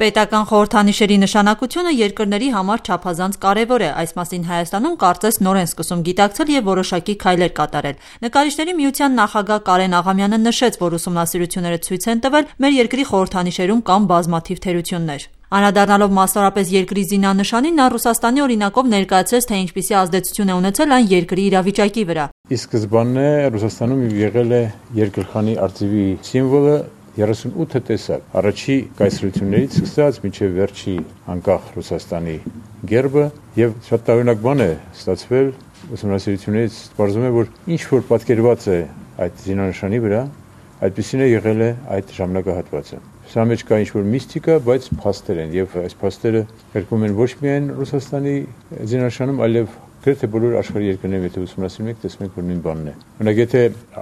Պետական խորհրդանիշերի նշանակությունը երկրների համար չափազանց կարևոր է, այս մասին Հայաստանում կարծես նոր են սկսում գիտակցել և որոշակի քայլեր կատարել։ Նկարիչների միության նախագահ Կարեն Աղամյանը նշեց, որ ուսումնասիրությունները ցույց են տվել մեր երկրի խորհրդանիշերում կան բազմաթիվ թերություններ։ Անդրադառնալով մասնավորապես երկրի զինանշանին, նա Ռուսաստանի օրինակով ներկայացրեց, թե ինչպիսի ազդեցություն է ունեցել այն երկրի իրավիճակի վրա։ Ի սկզբանե Ռուսաստանում եղել է երկրխանի արծիվի սիմվոլը 38 տեսակ, առաջի կայսրություններից սկսած մինչև վերջի անկախ Ռուսաստանի գերբը, եւ շատ տարօրինակ բան է ստացվել ուսումնասիրություններից, պարզվում է, որ ինչ որ պատկերված է այդ զինանշանի վրա, այդպիսին է եղել է այդ ժամանակահատվածը։ Սա մեջ կա ինչ որ միստիկա, բայց փաստեր են, եւ այս փաստերը կրկնում են ոչ միայն Ռուսաստանի զինանշանում, այլև գրեթե բոլոր աշխարհի երկրներում, եթե ուսումնասիրում եք, տեսնում եք, որ նույն բանն է։ Օրինակ, եթե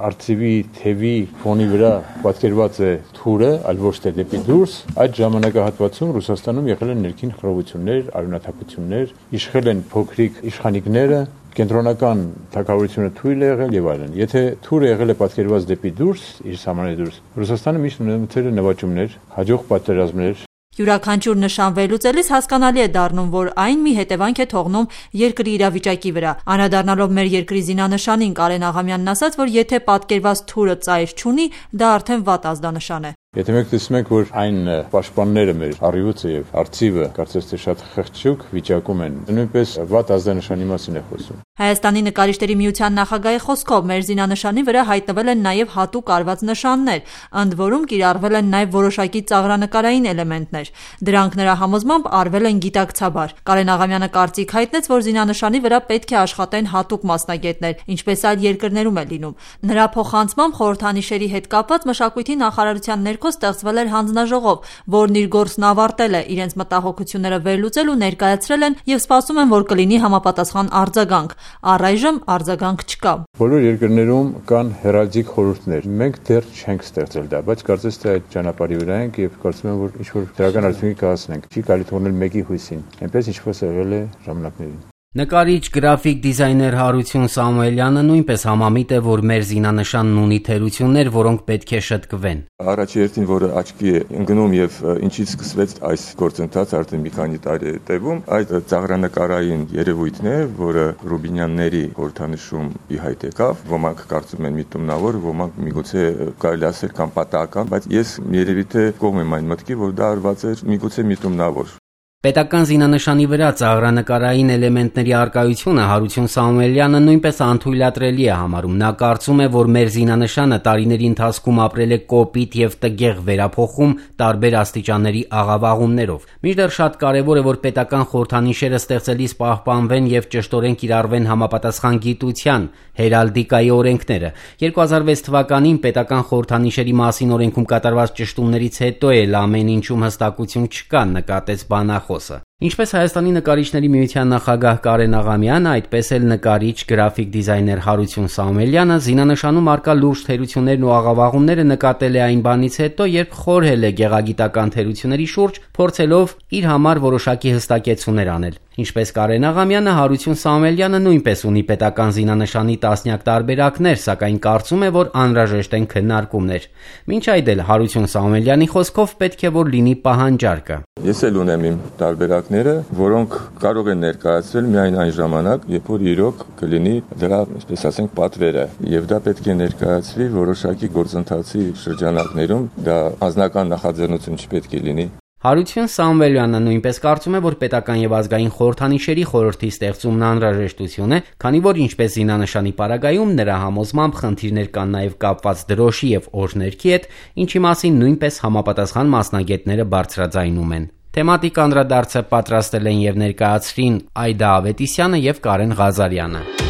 արծիվի թևի ֆոնի վրա պատկերված է թուրը, այլ ոչ թե դեպի դուրս, այդ ժամանակահատվածում Ռուսաստանում եղել են ներքին խռովություններ, արյունաթափություններ, իշխել են փոքրիկ իշխանիկները, կենտրոնական թագավորությունը թույլ է եղել եւ այլն։ Եթե թուրը եղել է պատկերված դեպի դուրս, իր սահմանների դուրս, Ռուսաստանը միշտ ունեցել է նվաճումներ, հաջող պատերազմներ։ Յուրաքանչյուր նշան վերլուծելիս հասկանալի է դառնում, որ այն մի հետևանք է թողնում երկրի իրավիճակի վրա։ Անդրադառնալով մեր երկրի զինանշանին, Կարեն Աղամյանն ասաց, որ եթե պատկերված թուրը ծայր չունի, դա արդեն վատ ազդանշան է։ Եթե մենք տեսնում ենք, որ այն պաշտպանները մեր առյուծը եւ արծիվը կարծես թե շատ խղճուկ վիճակում են, նույնպես վատ ազդանշանի մասին է խոսում։ Հայաստանի նկարիչների միության նախագահի խոսքով մեր զինանշանի վրա հայտնվել են նաև հատուկ արված նշաններ, ընդ որում կիրառվել են նաև որոշակի ծաղրանկարային էլեմենտներ։ Դրանք նրա համոզմամբ արվել են գիտակցաբար։ Կարեն Աղամյանը կարծիք հայտնեց, որ զինանշանի վրա պետք է աշխատեն հատուկ մասնագետներ, ինչպես այլ երկրներում է լինում։ Նրա փոխանցմամբ խորհրդանիշերի հետ կապված մշակույթի նախարարության ներքո ստեղծվել էր հանձնաժողով, որն իր գործն ավարտել է, իրենց մտահոգությունները վերլուծել ու ներկայացրել են եւ սպասում են, որ կլինի համապատասխան արձագանք։ Առայժմ արձագանք չկա։ Բոլոր երկրներում կան հերալդիկ խորհուրդներ։ Մենք դեռ չենք ստեղծել դա, բայց կարծես թե այդ ճանապարհի վրա ենք եւ կարծում եմ, որ ինչ-որ դրական արդյունքի կհասնենք։ Չի կարելի թողնել մեկի հույսին։ Այնպես ինչպես եղել է ժամանակներին։ Նկարիչ, գրաֆիկ դիզայներ Հարություն Սամուելյանը նույնպես համամիտ է, որ մեր զինանշանն ունի թերություններ, որոնք պետք է շտկվեն։ Առաջի հերթին, որը աչքի է ընկնում եւ ինչից սկսվեց այս գործընթացը արդեն մի քանի տարի է տևում, այդ ծաղրանկարային երևույթն է, որը Ռուբինյանների խորհրդանիշում ի հայտ եկավ։ Ոմանք կարծում են միտումնավոր, ոմանք միգուցե կարելի ասել կամ պատահական, բայց ես երևի թե կողմ եմ այն մտքի, որ դա արված էր միգուցե միտումնավոր։ Պետական զինանշանի վրա ծաղրանկարային էլեմենտների առկայությունը Հարություն Սամուելյանը նույնպես անթույլատրելի է համարում։ Նա կարծում է, որ մեր զինանշանը տարիների ընթացքում ապրել է կոպիտ եւ տգեղ վերափոխում տարբեր աստիճանների աղավաղումներով։ Մինչդեռ շատ կարևոր է, որ պետական խորհրդանիշերը ստեղծելիս պահպանվեն եւ ճշտորեն կիրառվեն համապատասխան գիտության, հերալդիկայի օրենքները։ 2006 թվականին պետական խորհրդանիշերի մասին օրենքում կատարված ճշտումներից հետո էլ ամեն ինչում հստակություն չկա, նկատեց բանախոսը։ Ինչպես Հայաստանի նկարիչների միության նախագահ Կարեն Աղամյանը, այդպես էլ նկարիչ, գրաֆիկ դիզայներ Հարություն Սամուելյանը զինանշանում առկա լուրջ թերություններն ու աղավաղումները նկատել է այն բանից հետո, երբ խորհել է գեղագիտական թերությունների շուրջ, փորձելով իր համար որոշակի հստակեցումներ անել։ Ինչպես Կարեն Աղամյանը, Հարություն Սամուելյանը նույնպես ունի պետական զինանշանի տասնյակ տարբերակներ, սակայն կարծում է, որ անհրաժեշտ են քննարկումներ։ Մինչ այդ էլ Հարություն Սամուելյանի խոսքով պետք է որ լինի պահանջարկը։ Ես էլ ունեմ իմ տարբերակները, որոնք կարող են ներկայացվել միայն այն ժամանակ, երբ որ իրոք կլինի դրա, այսպես ասենք, պատվերը, եւ դա պետք է ներկայացվի որոշակի գործընթացի շրջանակներում, դա անձնական նախաձեռնություն չպետք է լինի։ Հարություն Սամուելյանը նույնպես կարծում է, որ պետական եւ ազգային խորհրդանիշերի խորհրդի ստեղծումն անհրաժեշտություն է, քանի որ ինչպես զինանշանի պարագայում նրա համոզմամբ խնդիրներ կան նաեւ կապված դրոշի եւ օրհներքի հետ, ինչի մասին նույնպես համապատասխան մասնագետները բարձրաձայնում են։ Թեմատիկ անդրադարձը պատրաստել են եւ ներկայացրին Այդա Ավետիսյանը եւ Կարեն Ղազարյանը։